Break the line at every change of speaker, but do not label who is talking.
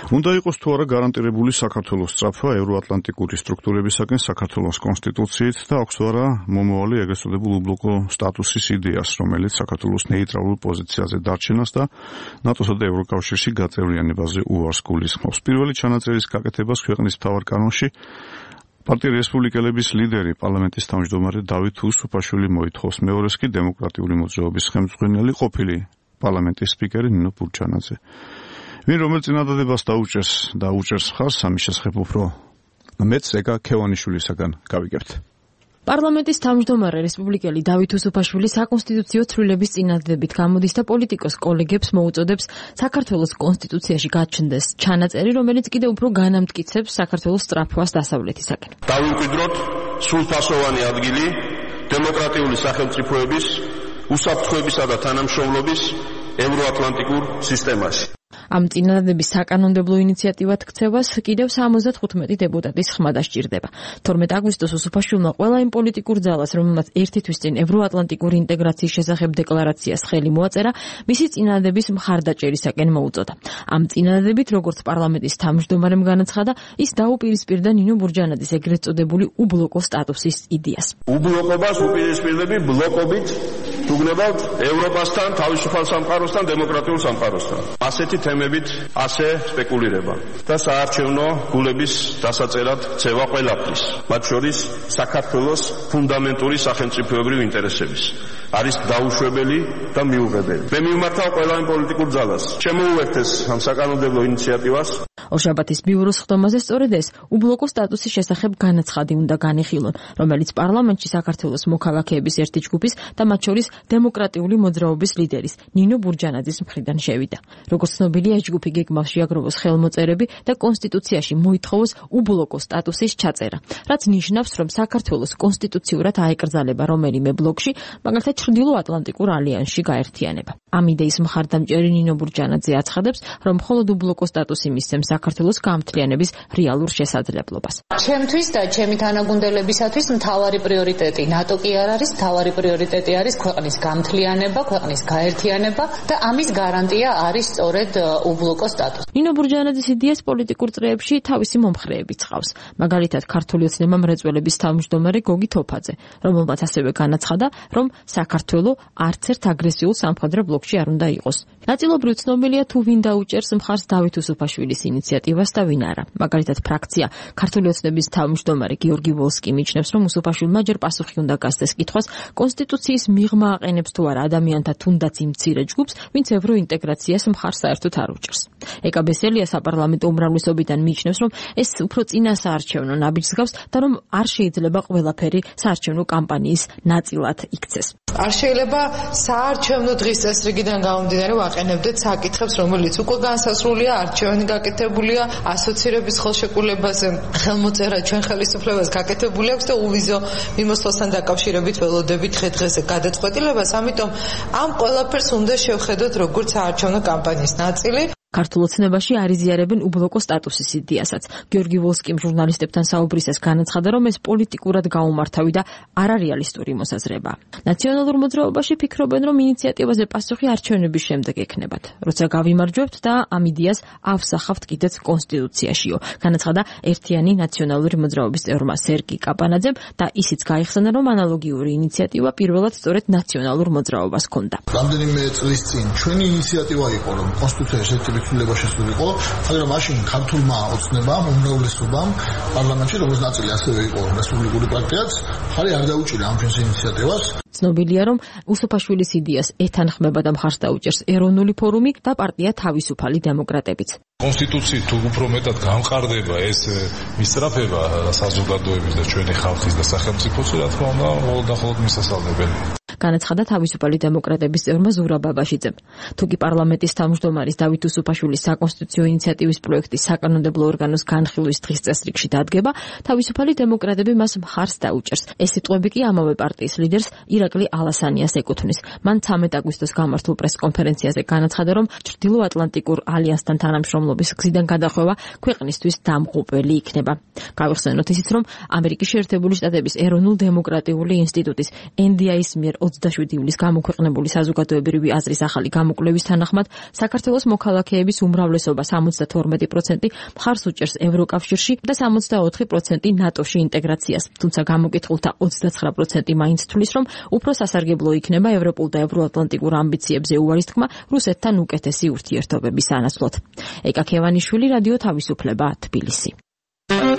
უნდა იყოს თუ არა გარანტირებული საქართველოს სწრაფვა ევროატლანტიკური სტრუქტურებისაგან საქართველოს კონსტიტუციით და აქვს თუ არა მომავალი ეგრეთ წოდებულ უბლოკო სტატუსის იდეას, რომელიც საქართველოს ნეიტრალურ პოზიციაზე დარჩენას და ნატოსა და ევროკავშირში გაწევრიანებაზე უარს გულისხმობს. Პირველი ჩანაწერის გაკეთებას ქვეყნის მთავარ კანონში პარტია რესპუბლიკელების ლიდერი, პარლამენტის თავმჯდომარე დავით უსუფაშვილი მოითხოვს. მეორეს კი დემოკრატიული მოძრაობის ხელმძღვანელი ყოფილი პარლამენტის სპიკერი ნინო ბურჯანაძე. ვინ რომელ წინადადებას დაუჭერს მხარს ამის შესახებ უფრო მეც რეგა ქევანიშვილისაგან გავიგებთ.
პარლამენტის თავმჯდომარე რესპუბლიკელი დავით უსუფაშვილი საკონსტიტუციო ცვლილების წინადადებით გამოდის და პოლიტიკოს კოლეგებს მოუწოდებს საქართველოს კონსტიტუციაში გაჩნდეს ჩანაწერი, რომელიც კიდევ უფრო განამტკიცებს საქართველოს სწრაფვას დასავლეთისაკენ.
დავიმკვიდროთ სრულფასოვანი ადგილი დემოკრატიული სახელმწიფოების, უსაფრთხოებისა და თანამშრომლობის ევროატლანტიკურ სისტემაში.
ამ წინადადების საკანონმდებლო ინიციატივად ქცევას კიდევ 75 დეპუტატის ხმა დასჭირდება. 12 აგვისტოს უსუფაშვილმა ყველა იმ პოლიტიკურ ძალას, რომელმაც ერთი თვის წინ ევროატლანტიკური ინტეგრაციის შესახებ დეკლარაციას ხელი მოაწერა, მისი წინადადების მხარდაჭერისაკენ მოუწოდა. ამ წინადადებით, როგორც პარლამენტის თავმჯდომარემ განაცხადა, ის დაუპირისპირდა ნინო ბურჯანაძის ეგრეთ წოდებული უბლოკო სტატუსის იდეას.
უბლოკობას უპირისპირდები ბლოკობით თუგნებავთ ევროპასთან, თავისუფალ სამყაროსთან, დემოკრატიულ სამყაროსთან. ასეთი თემებით ასე სპეკულირება და საარჩევნო გულების დასაწერად ცევა ყველაფრის, მათ შორის საქართველოს ფუნდამენტური სახელმწიფოებრივი ინტერესების. არის დაუშვებელი და მიუღებელი. მე მიმართავ ყველა იმ პოლიტიკურ ძალას, შემოუერთეს ამ საკანონმდებლო ინიციატივას.
ორშაბათის ბიუროს ხდომაზე სწორედ ეს უბლოკო სტატუსის შესახებ განაცხადი უნდა განიხილონ, რომელიც პარლამენტში საქართველოს მოქალაქეების ერთი ჯგუფის და მათ შორის დემოკრატიული მოძრაობის ლიდერის ნინო ბურჯანაძის მხრიდან შევიდა. როგორც ცნობილია, ჯგუფი გეგმავს შეაგროვოს ხელმოწერები და კონსტიტუციაში მოითხოვოს უბლოკო სტატუსის ჩაწერა, რაც ნიშნავს, რომ საქართველოს კონსტიტუციურად აეკრძალება რომელიმე ბლოკში, მაგალითად ჩრდილო-ატლანტიკურ ალიანსში გაერთიანება. ამ იდეის მხარდამჭერი ნინო ბურჯანაძე აცხადებს, რომ მხოლოდ უბლოკო სტატუსი მისცემს საქართველოს გამთლიანების რეალურ შესაძლებლობას.
ჩემთვის და ჩემი თანაგუნდელებისათვის მთავარი პრიორიტეტი ნატო კი არ არის, მთავარი პრიორიტეტი არის ქვეყნის გამთლიანება, ქვეყნის გაერთიანება და ამის გარანტია არის სწორედ უბლოკო სტატუსი.
ნინო ბურჯანაძის იდეას პოლიტიკურ წრეებში თავისი მომხრეები ცხავს. მაგალითად, ქართული ოცნება მრეწველების თავმჯდომარე გოგი თოფაძე, რომელმაც ასევე განაცხადა, რომ საქართველო არც ერთ აგრესიულ სამხედრო ბლოკში არ უნდა იყოს. ნაწილობრივ ცნობილია თუ ვინ დაუჭერს მხარს დავით უსუფაშვილის ინიციატივას და ვინ არა. მაგალითად, ფრაქცია ქართული ოცნების თავმჯდომარე გიორგი ვოლსკი მიჩნევს, რომ უსუფაშვილმა ჯერ პასუხი უნდა გასცეს კითხვას, კონსტიტუციის მიღმა აყენებს თუ არა ადამიანთა თუნდაც იმ მცირე ჯგუფს, ვინც ევროინტეგრაციას მხარს საერთოდ არ უჭერს. ეკა ბესელია საპარლამენტო უმრავლესობიდან მიჩნევს, რომ ეს უფრო წინა საარჩევნო ნაბიჯს გავს და რომ არ შეიძლება ყველაფერი საარჩევნო კამპანიის ნაწილად იქცეს.
არ შეიძლება საარჩევნო დღის წესრიგიდან გამომდინარე ვაყენებდეთ საკითხებს, რომელიც უკვე განსასრულია, არჩევანი გაკეთებულია, ასოცირების ხელშეკრულებაზე ხელმოწერა ჩვენ ხელისუფლებას გაკეთებული აქვს და უვიზო მიმოსვლასთან დაკავშირებით ველოდებით დღე-დღეზე გადაწყვეტილებას, ამიტომ ამ ყველაფერს უნდა შევხედოთ როგორც საარჩევნო კამპანიის ნაწილი.
ქართულ ოცნებაში არ იზიარებენ უბლოკო სტატუსის იდეასაც. გიორგი ვოლსკიმ ჟურნალისტებთან საუბრისას განაცხადა, რომ ეს პოლიტიკურად გაუმართავი და არარეალისტური მოსაზრება. ნაციონალურ მოძრაობაში ფიქრობენ, რომ ინიციატივაზე პასუხი არჩევნების შემდეგ ექნებათ. როცა გავიმარჯვებთ და ამ იდეას ავსახავთ კიდეც კონსტიტუციაშიო. განაცხადა ერთიანი ნაციონალური მოძრაობის წევრმა სერგი კაპანაძემ და ისიც გაიხსენა, რომ ანალოგიური ინიციატივა პირველად სწორედ ნაციონალურ მოძრაობას ჰქონდა.
რამდენიმე წლის წინ ჩვენი ინიციატივა იყო, რომ კონსტიტუციაში ცვლილება შესულიყო, მაგრამ მაშინ ქართულმა ოცნებამ, უმრავლესობამ პარლამენტში, როგორც ნაწილი ასევე იყო რესპუბლიკური პარტიაც, ხარი არ დაუჭირა ამ ჩვენს ინიციატივას.
ცნობილია, რომ უსუფაშვილის იდეას ეთანხმება და მხარს დაუჭერს ეროვნული ფორუმი და პარტია თავისუფალი დემოკრატებიც.
კონსტიტუციით თუ უფრო მეტად გამყარდება ეს მისწრაფება საზოგადოების და ჩვენი ხალხის და სახელმწიფოს, რა თქმა უნდა, მხოლოდ და მხოლოდ მისასალმებელია.
განაცხადა თავისუფალი დემოკრატების წევრმა ზურაბ ბაბაშიძემ. თუკი პარლამენტის თავმჯდომარის დავით უსუფაშვილის საკონსტიტუციო ინიციატივის პროექტის საკანონმდებლო ორგანოს განხილვის დღის წესრიგში დადგება, თავისუფალი დემოკრატები მას მხარს დაუჭერს. ეს სიტყვები კი ამავე პარტიის ლიდერს ირაკლი ალასანიას ეკუთვნის. მან 13 აგვისტოს გამართულ პრესკონფერენციაზე განაცხადა, რომ ჩრდილო-ატლანტიკურ ალიანსთან თანამშრომლობის გზიდან გადახვევა ქვეყნისთვის დამღუპველი იქნება. გავიხსენოთ ისიც, რომ ამერიკის შეერთებული შტატების ეროვნულ დემოკრატიული ინსტიტუტის NDI-ის მიერ 27 ივლისს გამოქვეყნებული საზოგადოებრივი აზრის ახალი გამოკვლევის თანახმად საქართველოს მოქალაქეების უმრავლესობა 72% მხარს უჭერს ევროკავშირში და 64% ნატოში ინტეგრაციას, თუმცა გამოკითხულთა 29% მაინც თვლის, რომ უფრო სასარგებლო იქნება ევროპულ და ევროატლანტიკურ ამბიციებზე უარის თქმა რუსეთთან უკეთესი ურთიერთობების ანაცვლოდ. ეკა ქევანიშვილი, რადიო თავისუფლება, თბილისი.